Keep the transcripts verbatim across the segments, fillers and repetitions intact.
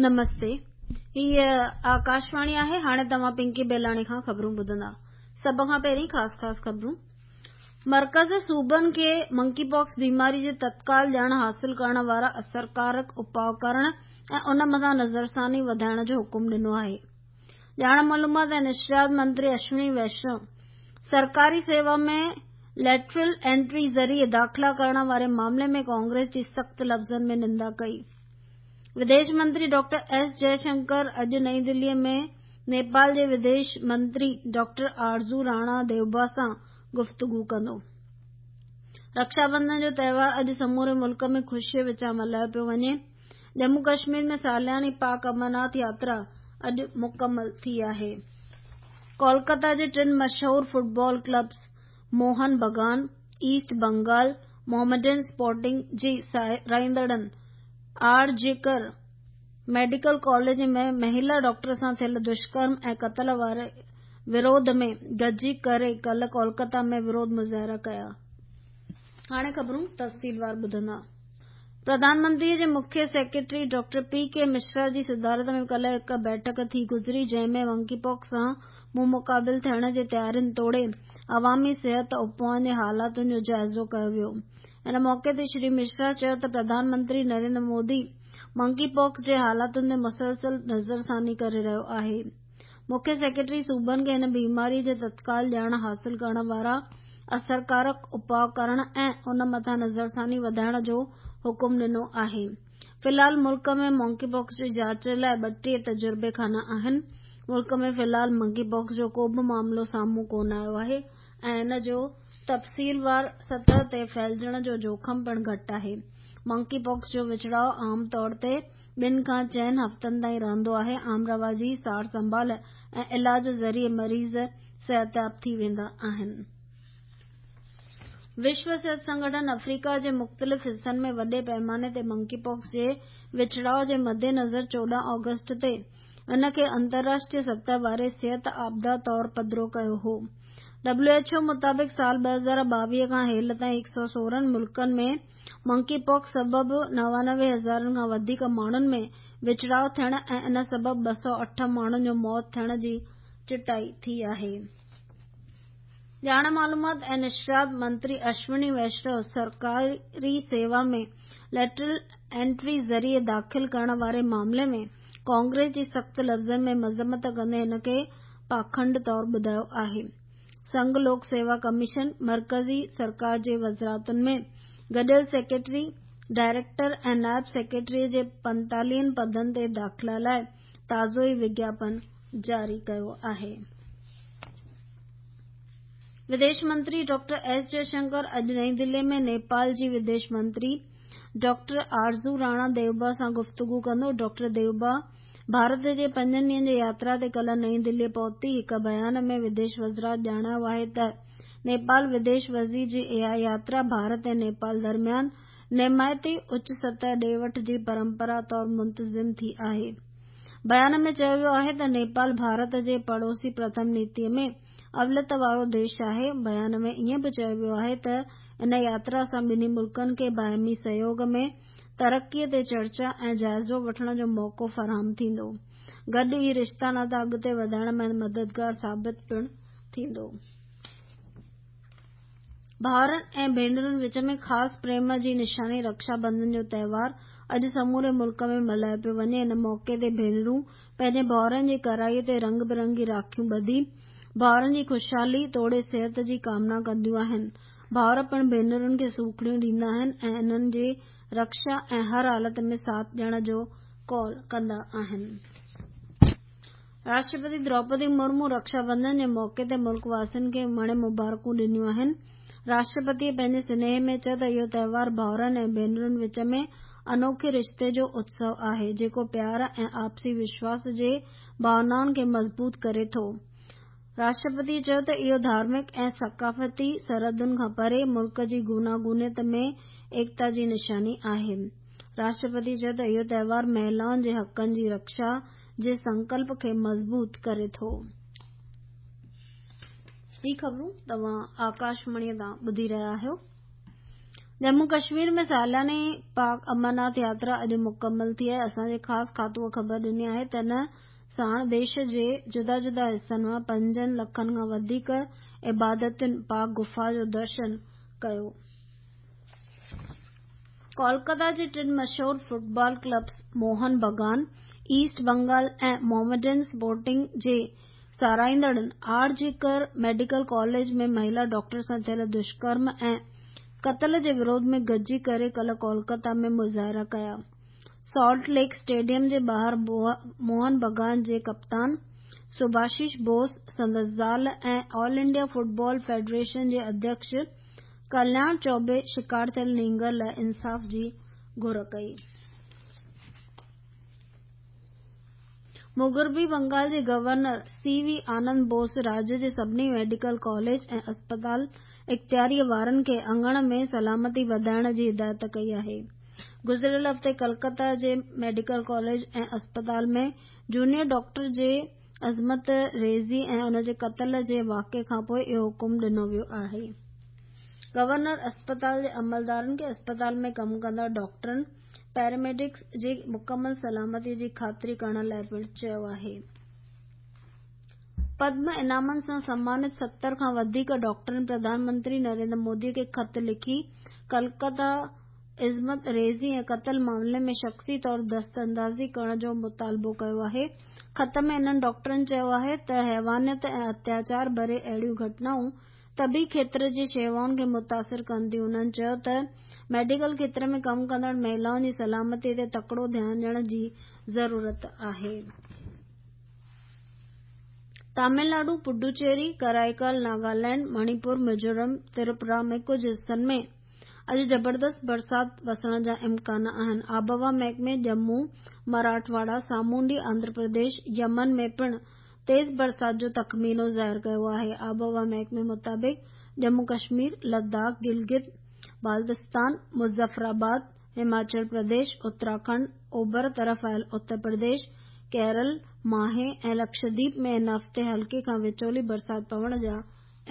نمستي، هيء آڪاشواڻي آهي. هاڻي توهان پنڪي بيلاڻي کان خبرون ٻڌندا. سڀ کان پهرين خاص خاص خبرون. مرڪز صوبن کي منڪي پاڪس بيماري جي تتڪال ڄاڻ حاصل ڪرڻ وارا اثرڪارڪ اپاء ڪرڻ ۽ ان مٿان نظرثاني وڌائڻ جو حڪم ڏنو آهي. ڄاڻ معلومات ۽ نشريات منتري اشوني ويشنو سرڪاري سيوا ۾ ليٽرل انٽري ذريعي داخلا ڪرڻ واري معاملي ۾ ڪانگريس جي سخت لفظن ۾ نندا ڪئي. وديش منتري ڊاڪٽر ايس جئشنڪر اڄ نئين دلي ۾ نيپال جي وديش منتري ڊاڪٽر آرزو راڻا ديوبا سان گفتگو ڪندو. رڪشا بنڌن جو تهوار اڄ سموري ملڪ ۾ خوشيء وچان ملهايو پيو وڃي. ڄمون ڪشمير ۾ سالياني پاڪ امرناٿ ياترا اڄ مڪمل ٿي آهي. ڪولڪتا جي ٽن مشهور football clubs Mohun Bagan, East Bengal, Mohammedan Sporting جي رهندڙن R G Kar medical college ۾ مهلا doctor سان ٿيل دشڪرم ۽ قتل واري وروڌ ۾ گڏجي ڪري ڪالهه ڪولڪتا ۾ وروڌ مظاهرا ڪيا. هاڻي خبرون تفصيلوار ٻڌندا. پرڌان منتري جي مکيه سيڪريٽري ڊاڪٽر پي ڪي مشرا جي صدارت ۾ ڪالهه هڪ بيٺڪ ٿي گذري، جنهن ۾ منڪي پاڪس سان منهن مقابل ٿيڻ جي تيارين توڙي عوامي صحت اپائن جي حالاتن جو جائزو ڪيو ويو. ان موقعي تي شري مشرا چيو ته پرڌان منتري نريندر مودي منڪي پاڪس جي حالاتن تي مسلسل نظرثاني ڪري رهيو آهي. مکيه سيڪريٽري صوبن کي هن بيماري جي تتڪال ڄاڻ حاصل ڪرڻ وارا اثرڪارڪ اپاء ڪرڻ ۽ ان مٿان نظرثاني وڌائڻ جو حڪم ڏنو آهي. في الحال ملڪ ۾ منڪي پاڪس جي جاچ لاء ٻٽيهه تجربي خانا آهن. ملڪ ۾ في الحال منڪي پاڪس جو ڪو به معاملو سامهون ڪونه آيو آهي ۽ ان جو تفصيلوار سطح تي ڦهلجڻ جو جوکم پڻ گهٽ آهي. منڪي پاڪس جو وڇڙاءُ عام طور تي ٻن کان چئن هفتن تائين رهندو آهي. عام رواجي سار سنڀال ۽ علاج ذريعي مريض صحتياب ٿي ويندا آهن. وشو صحت سنگٺن آفريڪا جي مختلف حصن ۾ وڏي پيماني تي منڪي پاڪس جي وڇڙاءُ جي مدنظر چوڏهن آگسٽ تي ان کي انترراشٽريه سطح واري صحت آپدا طور پڌرو ڪيو هو. ڊبليو ايڇ او مطابق سال ٻه هزار ٻاويهه کان هيل تائين هڪ سؤ سورهن ملڪن ۾ منڪي پاڪس سبب نوانوي هزارن کان وڌيڪ ماڻهن ۾ وڇڙاءُ ٿيڻ ۽ ان سبب ٻه سؤ اٺ ماڻهن جو موت ٿيڻ جي چٽائي ٿي آهي. ڄاڻ معلومات ۽ نشريات منتري اشوني ويشنو سرڪاري سيوا ۾ ليٽرل انٽري ذريعي داخل ڪرڻ واري معاملي ۾ ڪانگريس جي سخت لفظن ۾ مذمت ڪندي هن کي پاکنڊ طور ٻڌايو آهي. سنگهه لوڪ سيوا ڪميشن مرڪزي سرڪار جي وزارتن ۾ گڏيل سيڪريٽري، ڊائريڪٽر ۽ نائب سيڪريٽري جي پنتاليهن پدن تي داخلا لاءِ تازو ئي وگياپن جاري ڪيو آهي. وديش منتري ڊاڪٽر ايس جئشنڪر اڄ نئين دلي ۾ نيپال جي وديش منتري ڊاڪٽر آرزو راڻا ديوبا سان گفتگو ڪندو. ڊاڪٽر ديوبا ڀارت جي پنجن ڏينهن جي ياترا تي ڪالهه نئين دلي پهتي. هڪ بيان ۾ وديش وزارت ڄاڻايو آهي ته نيپال وديش وزير جي اها ياترا ڀارت ۽ نيپال درميان نمائتي اچ سطح ڏي وٺ جي پرمپرا طور منتظم ٿي آهي. بيان ۾ چيو ويو آهي ته نيپال ڀارت جي پڙوسي پرٿم نيتي ۾ اوليت وارو ديش آهي. بيان ۾ ائين به چيو ويو آهي ته ان ياترا سان ٻنهي ملڪن کي باهمي سهيوڳ ۾ ترقي تي چرچا ۽ جائزو وٺڻ جو موقعو فراهم ٿيندو، گڏ ئي رشتا ناتا اڳتي وڌائڻ ۾ مددگار ثابت پڻ ٿيندو. ڀائرن ۽ ڀينرن وچ ۾ خاص پريم جي نشاني رڪشا بنڌن جو تهوار اڄ سموري ملڪ ۾ ملهايو پيو وڃي. ان موقعي تي ڀينرون پنهنجي ڀائرن جي ڪرائي تي رنگ برنگي راکيون ٻڌي ڀائرن جي خوشحالي توڙي صحت جي ڪامنا ڪنديون آهن. ڀائر پڻ ڀينرن کي سوکڙيون ڏيندا آهن ۽ انهن جي رڪشا ۽ هر حالت ۾ ساٿ ڏيڻ جو قول ڪندا آهن. راشٽرپتي دروپدي مرمو رڪشا بنڌن جي موقعي تي ملڪ واسين کي مڻ مبارڪون ڏنيون آهن. راشٽرپتيءَ پنهنجي سنيهي ۾ چيو ته اهو تهوار ڀائرن ۽ ڀينرن وچ ۾ انوکي رشتي جو اتسو آهي، جيڪو پيار ۽ آپسي وشواس جي ڀاونائن کي مضبوط ڪري ٿو. راشٽرپتيءَ چيو ته اهو ڌارمڪ ۽ ثقافتي سرحدن کان پري ملڪ جي گوناگونيت ۾ ايڪتا جي نشاني آهي. راشٽرپتي چيو ته اهو تهوار مهلائن جي حقن جي رڪشا جي سنڪلپ کي مضبوط ڪري ٿو. هي خبرون توهان آڪاشواڻيءَ تان ٻڌي رهيا آهيو. ڄمون ڪشمير ۾ سالياني پاڪ امرناٿ ياترا اڄ مڪمل ٿي آهي. اسان جي خاص کاتوءَ خبر ڏني آهي ته ان ساڻ ديش جي جدا جدا حصن مان پنجن لکن کان وڌيڪ عبادتين پاڪ گفا جو درشن ڪيو. ڪولڪتا جي ٽن مشهور football clubs Mohun Bagan, East Bengal ۽ Mohammedan Sporting جي ساراهيندڙن R G Kar medical college ۾ مهيلا ڊاڪٽر سان ٿيل دشڪرم ۽ قتل جي وروڌ ۾ گڏجي ڪري ڪالهه ڪولڪتا ۾ مظاهرا ڪيا. سالٽ ليڪ اسٽيڊيم جي ٻاهر موهن بگان جي ڪپتان سڀاشيش بوس، سندس زال ۽ آل انڊيا فٽبال فيڊريشن جي اڌيڪش ڪلياڻ چوبي شڪار ٿيل نينگر لاءِ انصاف جي گهر ڪئي. مغربي بنگال جي governor C V Anand Bose راجيه جي سڀني ميڊيڪل ڪاليج ۽ اسپتال اختياريءَ وارن کي اڱڻ ۾ سلامتي وڌائڻ جي هدايت ڪئي آهي. گذريل هفتي ڪلڪتا جي ميڊيڪل ڪاليج ۽ اسپتال ۾ جونيئر ڊاڪٽر جي عصمت ريزي ۽ ان جي قتل جي واقعي کانپوءِ اهو حڪم ڏنو ويو آهي. گورنر اسپتال جي عملدارن کي اسپتال ۾ ڪم ڪندڙ ڊاڪٽرن، پيراميڊڪس جي مڪمل سلامتي جي خاطري ڪرڻ لاءِ پڻ چيو آهي. پدم انعامن سان سمانت ستر کان وڌيڪ ڊاڪٽرن پرڌان منتري نريندر مودي کي خط لکي ڪلڪتا عصمت ريزي ۽ قتل معاملي ۾ شخصي طور دست اندازي ڪرڻ جو مطالبو ڪيو آهي. خط ۾ انهن ڊاڪٽرن چيو آهي ته حيوانيت ۽ اتياچار ڀري اهڙيون گهٽنائون طبي کيتر جي شيوائن کي متاثر ڪن ٿيون. انهن چيو ته ميڊيڪل کيتر ۾ ڪم ڪندڙ مهلائن جي سلامتي تي تڪڙو ڌيان ڏيڻ جي ضرورت آهي. تامل ناڊو، پڊوچيري، ڪرائيڪال، ناگالينڊ، مڻيپور، ميزورم، تريپورا ۾ ڪجهه حصن ۾ اڄ زبردست برسات وسڻ جا امڪان آهن. آبهوا محڪمي ڄمون، مراٺواڙا، سامونڊي آنڌرا پرديش، يمن ۾ پڻ تيز برسات جو تخمينو ظاهر ڪيو آهي. آبهوا محڪمي مطابق ڄمون ڪشمير، لداخ، گلگت بالتستان، مظفرآباد، هماچل پرديش، اتراکنڊ، اوڀر طرف آيل اتر پرديش، ڪيرل، ماهي ۽ لڪشديپ ۾ هن هفتي هلڪي کان وچولي برسات پوڻ جا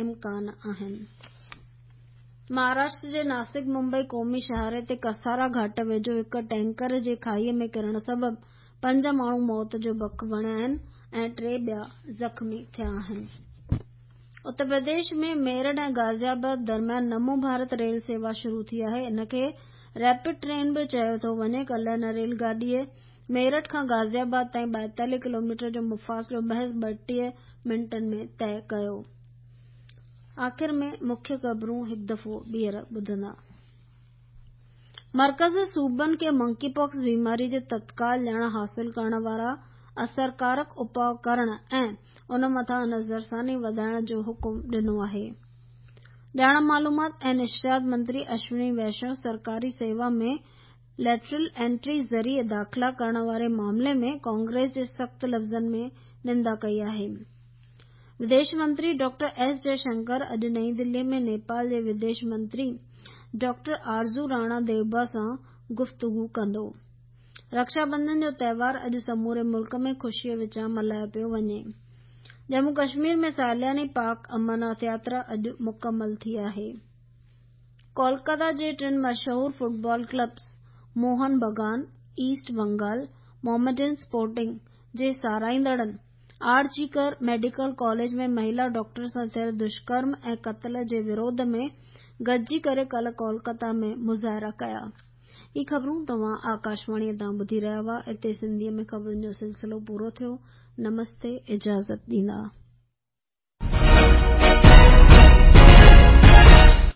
امڪان آهن. مهاراشٽر جي ناسڪ ممبئي قومي شاهراهه تي ڪسارا گهاٽ ويجهو هڪ ٽينڪر جي کاهيءَ ۾ ڪرڻ سبب پنج ماڻهو موت جو بک بڻيا آهن ۽ ٽي ٻيا زخمي ٿيا آهن. اتر پرديش ۾ ميرٺ ۽ غازي آباد درميان نمو ڀارت ريل سيوا شروع ٿي آهي. ان کي ريپڊ ٽرين به چيو ٿو وڃي. ڪالهه هن ريل گاڏيءَ ميرٺ کان غازي آباد تائين ٻائيتاليهه ڪلوميٽر جو مفاصلو محض ٻٽيهه منٽن ۾ طئي ڪيو. آخر ۾ مکيه خبرون هڪ دفعو ٻيهر ٻڌندا. مرڪز صوبن کي منڪي پاڪس بيماري جي تتڪال ڄاڻ حاصل ڪرڻ وارا اثرڪارڪ اپاءُ ڪرڻ ۽ ان مٿان نظرثاني وڌائڻ جو حڪم ڏنو آهي. ڄاڻ معلومات ۽ نشريات منتري اشوني ويشنو سرڪاري سيوا ۾ ليٽرل انٽري ذريعي داخلا ڪرڻ واري معاملي ۾ ڪانگريس جي سخت لفظن ۾ نندا ڪئي آهي. وديش منتري ڊاڪٽر ايس جئشنڪر اڄ نئين دلي ۾ نيپال جي وديش منتري ڊاڪٽر آرزو راڻا ديوبا سان گفتگو ڪندو. رڪشا بنڌن جو تهوار اڄ سموري ملڪ ۾ خوشيءَ وچان ملهايو پيو وڃي. ڄمون ڪشمير ۾ سالياني پاڪ امرناٿ ياترا اڄ مڪمل ٿي آهي. ڪولڪتا جي ٽن مشهور football clubs Mohun Bagan, East Bengal, Mohammedan Sporting جي ساراهيندڙن R G Kar medical college ۾ مهيلا ڊاڪٽر سان ٿيل دشڪرم ۽ قتل جي وروڌ ۾ گڏجي ڪري ڪالهه ڪولڪتا ۾ مظاهرا ڪيا. هي خبرون توهان آڪاشواڻيءَ تان ٻڌي رهيا هئا. اتي سنڌيءَ ۾ خبرن جو سلسلو پورو ٿيو. نمستي، اجازت ڏيندا.